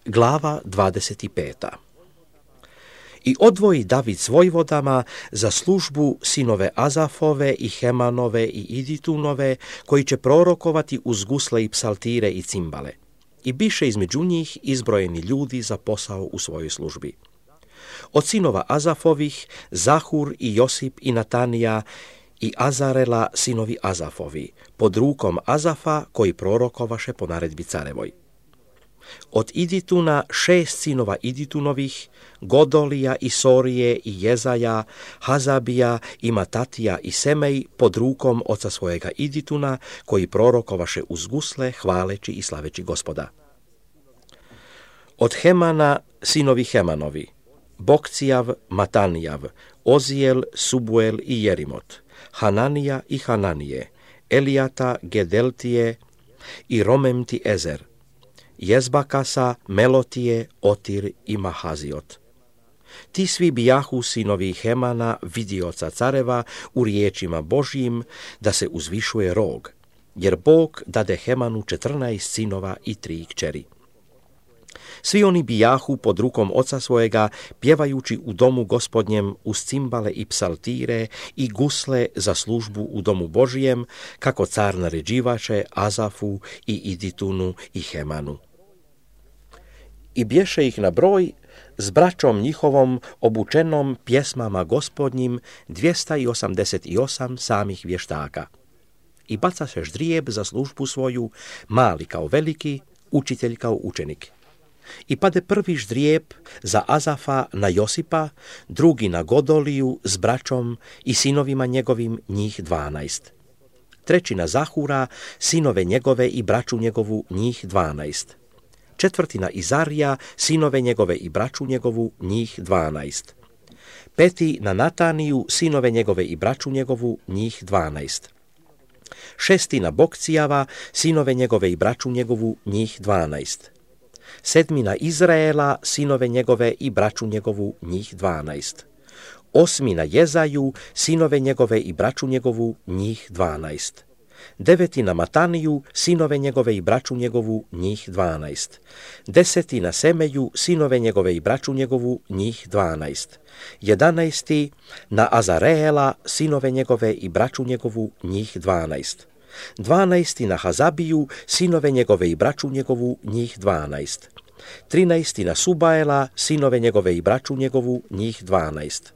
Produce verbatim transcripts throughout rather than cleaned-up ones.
Glava dvadeset peta. I odvoji David s vojvodama za službu sinove Azafove i Hemanove i Iditunove, koji će prorokovati uz gusle i psaltire i cimbale. I biše između njih izbrojeni ljudi za posao u svojoj službi. Od sinova Azafovih, Zahur i Josip i Natanija i Azarela sinovi Azafovi, pod rukom Azafa koji prorokovaše po naredbi carevoj. Od Idituna šest sinova Iditunovih, Godolija i Sorije i Jezaja, Hazabija i Matatija i Semej, pod rukom oca svojega Idituna, koji prorokovaše uz gusle, hvaleći i slaveći Gospoda. Od Hemana sinovi Hemanovi, Bokcijav, Matanijav, Ozijel, Subuel i Jerimot, Hananija i Hananije, Elijata, Gedeltije i Romemti Ezer, Jezbakasa, Melotije, Otir i Mahaziot. Ti svi bijahu sinovi Hemana, vidioca careva, u riječima Božjim, da se uzvišuje rog, jer Bog dade Hemanu četrnaest sinova i tri kćeri. Svi oni bijahu pod rukom oca svojega, pjevajući u domu Gospodnjem uz cimbale i psaltire i gusle za službu u domu Božijem, kako car naređivaše Azafu i Iditunu i Hemanu. I bješe ih na broj s braćom njihovom obučenom pjesmama Gospodnjim dvjesto osamdeset osam samih vještaka. I bacaše ždrijeb za službu svoju, mali kao veliki, učitelj kao učenik. I pade prvi ždrijeb za Azafa na Josipa, drugi na Godoliju s braćom i sinovima njegovim, njih dvanaest. Treći na Zahura, sinove njegove i braću njegovu, njih dvanaest. Četvrti na Izarija, sinove njegove i braću njegovu, njih dvanaest. Peti na Nataniju, sinove njegove i braću njegovu, njih dvanaest. Šesti na Bokcijava, sinove njegove i braću njegovu, njih dvanaest. Sedmi na Izraela, sinove njegove i braću njegovu, njih dvanaest. Osmi na Jezaju, sinove njegove i braću njegovu, njih dvanaest. Deveti na Mataniju, sinove njegove i braću njegovu, njih dvanaest. Deseti na Semeju, sinove njegove i braću njegovu, njih dvanaest. Jedanaesti na Azareela, sinove njegove i braću njegovu, njih dvanaest. Dvanaesti na Hazabiju, sinove njegove i braću njegovu, njih dvanaest. Trinaesti na Subaela, sinove njegove i braću njegovu, njih dvanaest.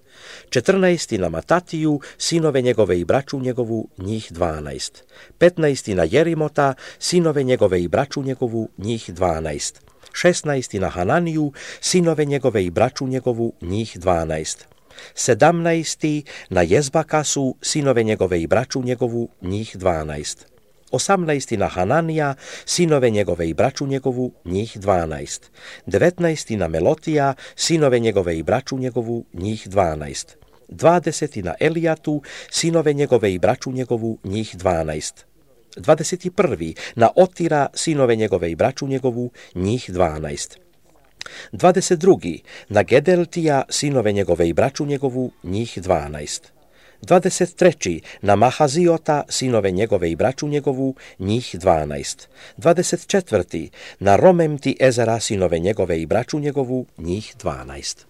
Četrnaesti na Matatiju, sinove njegove i braću njegovu, njih dvanaest. Petnaesti na Jerimota, sinove njegove i braću njegovu, njih dvanaest. Šesnaesti na Hananiju, sinove njegove i braću njegovu, njih dvanaest. Sedamnaesti na Jezbakasu, sinove njegove i braću njegovu, njih dvanaest. Osamnaesti na Hananija, sinove njegove i braću njegovu, njih dvanaest. Devetnaesti na Melotija, sinove njegove i braću njegovu, njih dvanaest. Dvadeseti na Elijatu, sinove njegove i braću njegovu, njih dvanaest. Dvadeset prvi na Otira, sinove njegove i braću njegovu, njih dvanaest. Dvadeset drugi na Gedeltija, sinove njegove i braću njegovu, njih dvanaest. Dvadeset treći na Mahaziota, sinove njegove i braću njegovu, njih dvanaest. Dvadeset četvrti na Romemti Ezera, sinove njegove i braću njegovu, njih dvanaest.